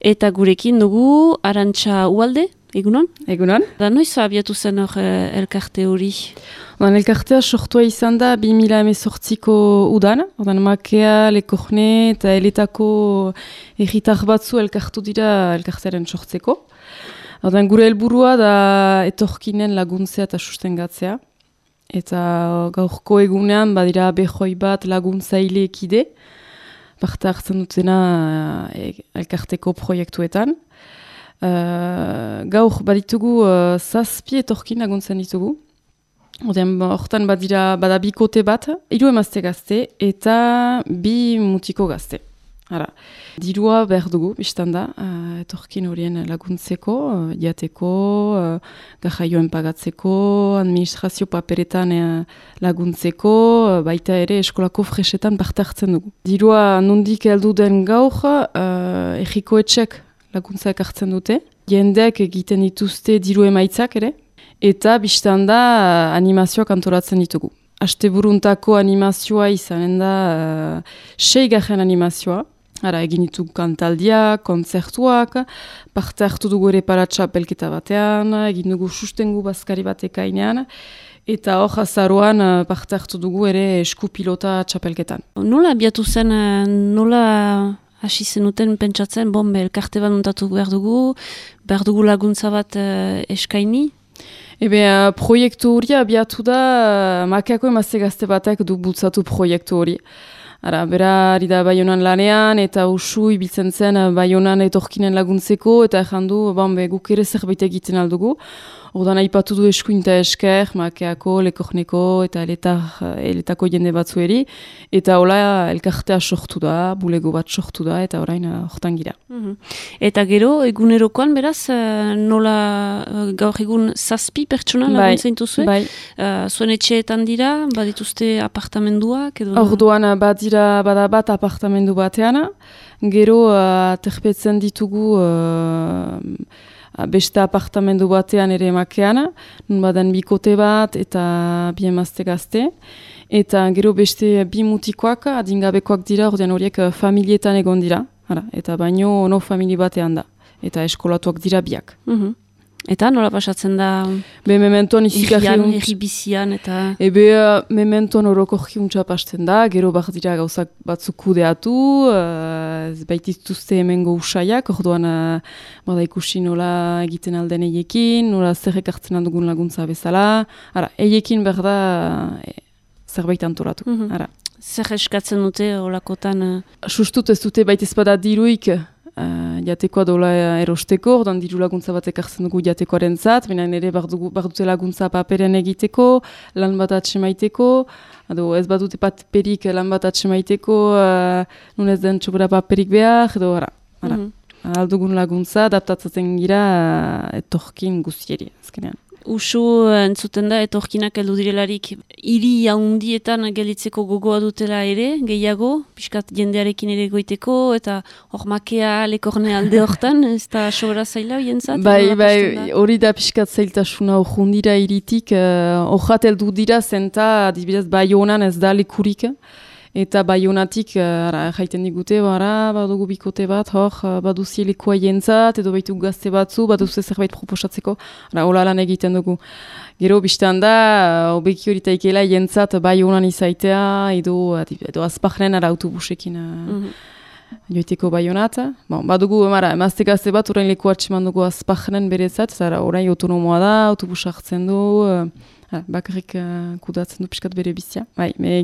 Eta gurekin dugu Arantxa Ualde, egunon? Egunon. Da noiz abiatu zen hor elkarte hori? Elkartea sortua izan da 2018ko udan. Makea, Lekorne eta eletako erritar batzu elkartu dira elkartearen sortzeko. Gure helburua da etorkinen laguntzea eta sustengatzea. Eta gaurko egunean badira behoi bat laguntzaile ekide. Parte hartzen dutena elkarteko proiektuetan. Gaur baditugu 7 etorkin laguntzen ditugu. Hortan bada bikote bat, 3 emazte gazte eta 2 mutiko gazte. Dirua behar dugu, biztanda, etorkin horien laguntzeko, jateko, garraioen pagatzeko, administrazio paperetan laguntzeko, baita ere eskolako fresetan parte hartzen dugu. Dirua nondik heldu den gaur, erriko etxek laguntzak hartzen dute. Jendeak egiten dituzte diru emaitzak ere, eta biztanda animazioak antolatzen ditugu. Asteburuntako animazioa izanen da 6 animazioa. Egin ditugu kantaldiak, kontzertuak, parte hartu dugu ere paratxapelketa batean, egin dugu sustengu bazkari bat ekainean, eta hor azaroan parte hartu dugu ere eskupilota txapelketan. Nola abiatu zen, nola hasi zenuten pentsatzen, elkarte bat montatu behar dugu laguntza bat eskaini? Proiektu hori abiatu da, Makeako emazte gazte batek du bultzatu proiektu hori. Berari da Baionan lanean eta usu ibiltzen zen Baionan etorkinen laguntzeko eta errandu guk ere zerbait egiten aldugu. Ordan aipatu du eskuinta esker, Makeako, Lekorneko eta eletako jende batzueri. Eta hola elkartea sortu da, bulego bat sortu da eta orain hortan gira. Eta gero, egunerokoan beraz, nola gaur egun 7 pertsona laguntzen dituzue? Bai. Zuen etxeetan dira, badituzte apartamenduak? Orduan bada bat apartamendu batean, gero terpetzen ditugu beste apartamendu batean ere Makean, nun badan bikote bat eta 2 emazte gazte, eta gero beste 2 mutikoak adingabekoak dira, ordean horiek familietan egon dira, eta baino ono famili batean da, eta eskolatuak dira biak. Eta nola pasatzen da mementoan erribizian eta... Mementoan orokorki untsa pasten da, gero bat dira gauzak batzuk kudeatu, baitituzte hemengo usaiak, orduan bada ikusi nola egiten alden eiekin, nola zerrek hartzen aldugun laguntza bezala, eiekin behar da zerbait antolatu. Zer eskatzen dute olakotan? Sustut ez dute baita ezpada diruik, jatekoa dola erosteko, ordan diru laguntza batek hartzen dugu jatekoaren zat, baina ere dute laguntza paperen egiteko, lan bat atxemaiteko, ez badute paperik lan bat atxemaiteko, nun ez den txobora paperik behar, edo aldugun laguntza, adaptatzen gira etorkin guztieri, azkenean. Usu entzuten da etorkinak heldu direlarik hiri handietan gelditzeko gogoa dutela ere, gehiago, pixkat jendearekin ere goiteko, eta hor Makea, Lekorne alde hortan, ez da sobera zaila hientzat? Bai, hori da pixkat zailtasuna hor hiritik, horrat heldu dira zenta, adibidez, Baionan ez da lekurik, eta Baionatik jaiten digute, badugu bikote bat, baduzie lekoa jentzat, edo baitu gazte batzu, baduze zerbait proposatzeko, hola lan egiten dugu. Gero biztan da, obeki hori taikela jentzat Baionan izaitea, edo azpajnen autobusekin joiteko Baionat. Badugu emazte gazte bat, orain lekoa atxeman dugu azpajnen berezat, orain autonomoa da, autobus hartzen du, bakarrik kudatzen du piskat bere bizia.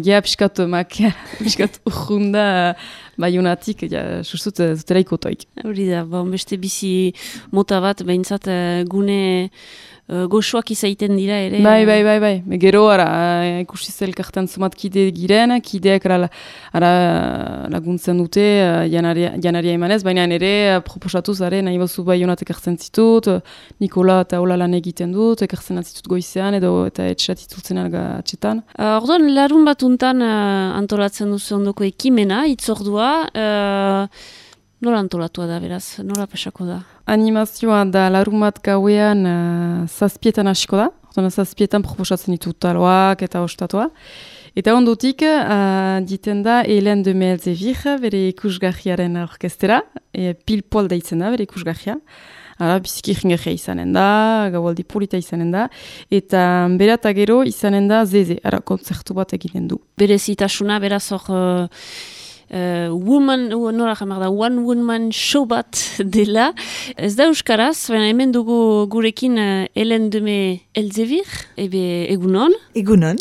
Gea piskat Makea, piskat urrunda Baionatik, sustut zutela ikotoik. Hori da, beste bizi mota bat, behintzat gune goxoak izaiten dira ere. Bai. Gero ikusi zelkartan zumat kide giren, kideak laguntzen dute janaria emanez, baina ere proposatuz nahi bazu Baionatek hartzen zitut, Nikola eta hola lan egiten dut, ekartzen atzitut goizean eta etxatitutzen atxetan. Orduan, larun batuntan antolatzen duzu ondoko ekimena, itzordua, nola antolatua da beraz, nola pasako da? Animazioa da larun bat gauean 7etan hasiko da. 7etan proposatzen ditut taloak eta ostatoa. Eta ondotik, diten da Hélène de Meelzevir, bere ikusgarriaren orkestera, Pile-Poil deitzen da, bere ikusgarria. Biziki jingarria izanen da, gaualdi polita izanen da, eta bera eta gero izanen da Zeze, kontzertu bat egiten du. Berezitasuna, beraz hor... one woman show bat dela. Ez da euskaraz, baina hemen dugu gurekin Hélène de Meelzevir, egunon. Egunon.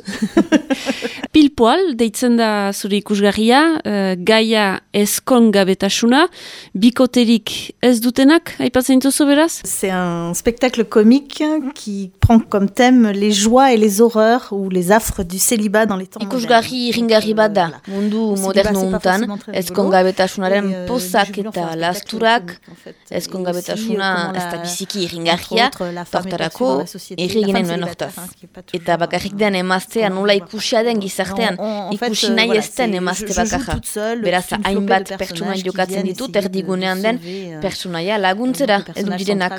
Pile-Poil, deitzen da zure ikusgarria, gaia ezkongabetasuna, bikoterik ez dutenak, aipatzen dituzu beraz? C'est un spectacle comique qui prend comme thème les joies et les horreurs ou les affres du célibat dans les temps modernes. Ikusgarri iringarri bat da, mundu moderno untan, ezkongabetasunaren pozak eta lasturak, ezkongabetasuna ez da biziki iringarria, tortarako erreginen nuen hortaz. Eta bakarrik den emaztea nola ikusia den gizartean, ikusi nahi ez den emazte bakarra. Beraz, hainbat pertsona jokatzen ditut, erdigunean den pertsonaia laguntzera edu direnak.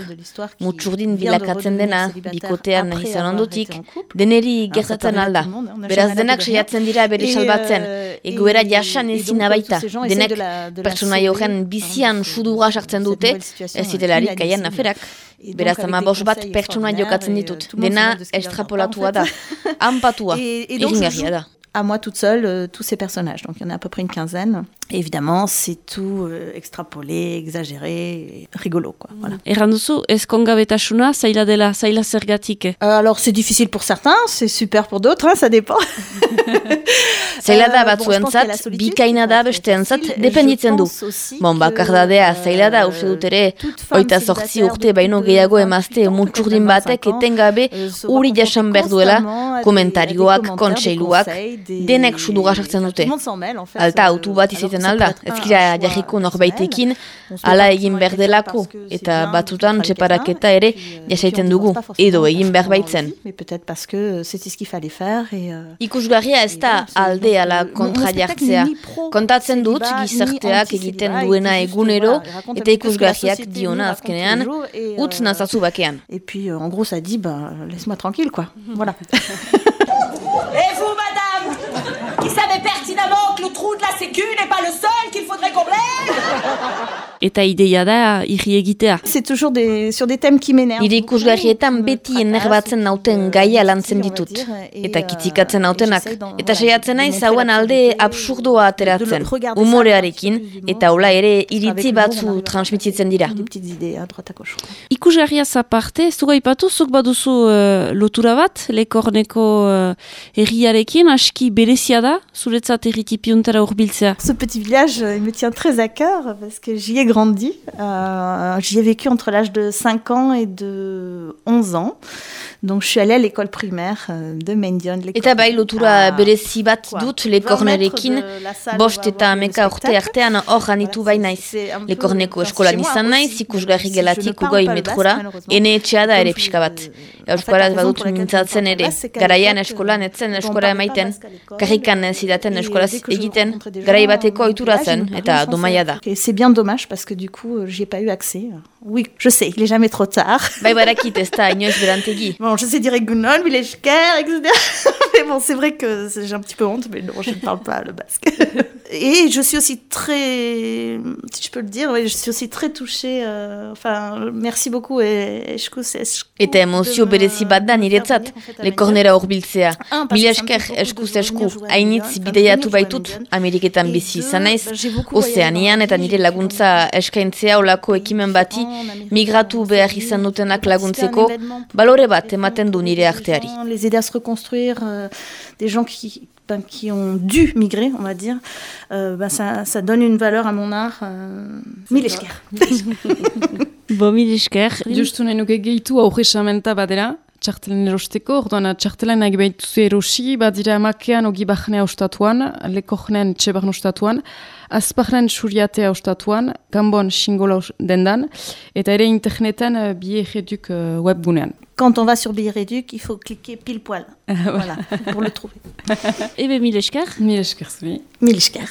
Mutsurdin bilakatzen dena, bikotean izan ondotik, deneri gertatzen alda. Beraz, denak saiatzen dira bere salbatzen, egoera jasan ezina baita. Denek pertsonaia horren bizian sudura sartzen dute, ez zitelarik gaien aferak. Beraz, 15 bat pertsona jokatzen ditut. Dena estrapolatua da, ampatua, iringarria da. À moi toute seule, tous ces personnages. Donc il y en a à peu près une quinzaine. Et évidemment, c'est tout extrapolé, exagéré, rigolo, quoi. Voilà. Erran duzu, ezkongabetasuna zaila dela, zaila zergatik? Alors c'est difficile pour certains, c'est super pour d'autres, ça dépend. Zaila da batzuentzat, bikaina da besteentzat, dependitzen du. Bakardadea zaila da, uste dut ere, 28 urte baino gehiago emazte mutsurdin batek etengabe uri jasan behar duela, komentarioak, kontseiluak, denek sudura sartzen dute. Alta autu bat izaten alda, ezkira jarriko norbaitekin, ala egin behar delako, eta batzutan txeparaketa ere jasaiten dugu, edo egin behar baitzen. Ikusgarria ez da alde ala kontra jartzea. Kontatzen dut gizarteak egiten duena egunero, eta ikusgarriak diona azkenean, utz nazazu bakean. Et puis en gros ça dit, laisse-moi tranquille, quoi. Voilà. Et vous, madame, qui savez pertinemment que le trou de la sécu n'est pas le seul qu'il faudrait combler? Eta ideia da irri egitea. C'est toujours sur des thèmes qui m'énervent. Nire ikusgarrietan beti enerbatzen nauten gaia lantzen ditut. Eta kitikatzen nautenak. Eta saiatzen naiz hauan alde absurdoa ateratzen. Humorearekin, eta hola ere iritzi batzu transmititzen dira. Ikusgarria zaparte, ez dugu aipatu, zuk baduzu lotura bat, Lekorneko herriarekin, aski berezia da, zuretzat herritipiuntara urbiltzea. Ce petit village, il me tient très à cœur, parce que j'y ai grandi. J'y ai vécu entre l'âge de 5 ans et de 11 ans. Donc je suis allée à l'école primaire de Mendion. Eta bai lotura berezi bat dut Lekornerekin, 5 eta 11 urte artean hor anitu bai naiz. Lekorneko eskolan izan naiz, ikusgarri gelatik ugoi metrora, ene etxea da ere pixka bat. Euskaraz badut mintzatzen ere, garaian eskolan etzen eskola emaiten, karrikan zidaten eskolaz egiten, garai bateko ohitura zen, eta domaia da. C'est bien dommage, parce que du coup, j'y ai pas eu accès. Oui, je sais, il est jamais trop tard. Bai barakit ez da inoiz berantegi. Bon, je sais dire Egunon, Mileshker, etc. Mais bon, c'est vrai que j'ai un petit peu honte, mais non, je ne parle pas le basque. Et je suis aussi très, si je peux le dire, je suis aussi très touchée. Merci beaucoup. Eta emozio berezi bat da niretzat, Lekornera hurbiltzea. Mileshker eskuz esku, hainitz bideiatu baitut, Ameriketan bizi izan naiz, Ozeanian eta nire laguntza eskaintzea olako ekimen bati, migratu behar izan dutenak laguntzeko, balore bat ematen du nire arteari. Les aider à se reconstruire, des gens qui ont dû migrer, on va dire, ça donne une valeur à mon art. Mileshker. Bo, Mileshker. Justu nahi nuke gehitu aurresamenta badera, txartelen erosteko, orduan txartelen nahi behituzu erosi, badira makean ogi bahnea ostatuan, Lekornen txebarn ostatuan, azpahnen suriatea ostatuan, Gambon xingola dendan, eta ere interneten Biherreduk webgunean. Quand on va sur Biherreduk, il faut cliquer pile poil. Voilà, pour le trouver. Ebe Mileshker. Mileshker, zui. Mileshker.